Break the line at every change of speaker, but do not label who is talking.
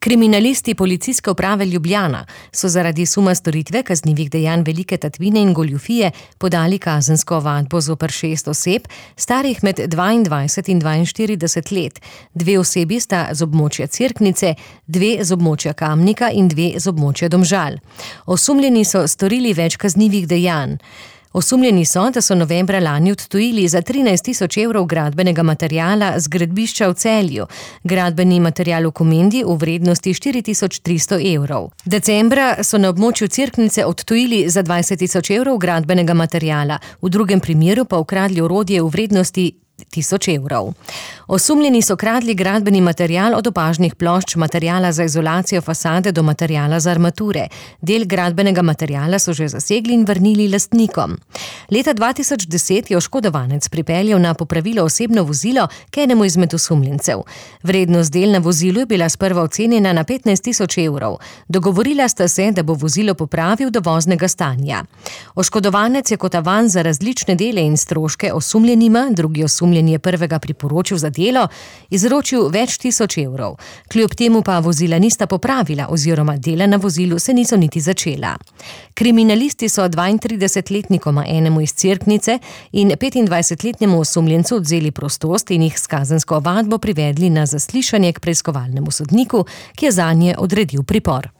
Kriminalisti Policijske uprave Ljubljana so zaradi suma storitve kaznivih dejanj velike tatvine in goljufije podali kazensko ovadbo zoper 6 oseb, starih med 22 in 42 let. 2 osebi sta z območja Cerknice, 2 z območja Kamnika in 2 z območja Domžal. Osumljeni so storili več kaznivih dejanj. Osumljeni so, da so novembra lani odtujili za 13.000 evrov gradbenega materiala z gradbišča v Celju, gradbeni material v Komendi v vrednosti 4.300 evrov. Decembra so na območju Cerknice odtujili za 20.000 evrov gradbenega materiala, v drugem primeru pa ukradli orodje v vrednosti 1.000 evrov. Osumljeni so kradli gradbeni material od opažnih plošč materiala za izolacijo fasade do materiala za armature. Del gradbenega materiala so že zasegli in vrnili lastnikom. Leta 2010 je oškodovanec pripeljal na popravilo osebno vozilo k enemu izmed osumljencev. Vrednost del na vozilu je bila sprva ocenjena na 15.000 evrov. Dogovorila sta se, da bo vozilo popravil do voznega stanja. Oškodovanec je kot avans za različne dele in stroške osumljenima, drugi osumljeni je prvega priporočil za delo, izročil več 1000 evrov. Kljub temu pa vozila nista popravila oziroma dela na vozilu se niso niti začela. Kriminalisti so 32-letnikoma, enemu iz Cerknice in 25-letnemu osumljencu odvzeli prostost in jih s kazensko ovadbo privedli na zaslišanje k preiskovalnemu sodniku, ki je zanje odredil pripor.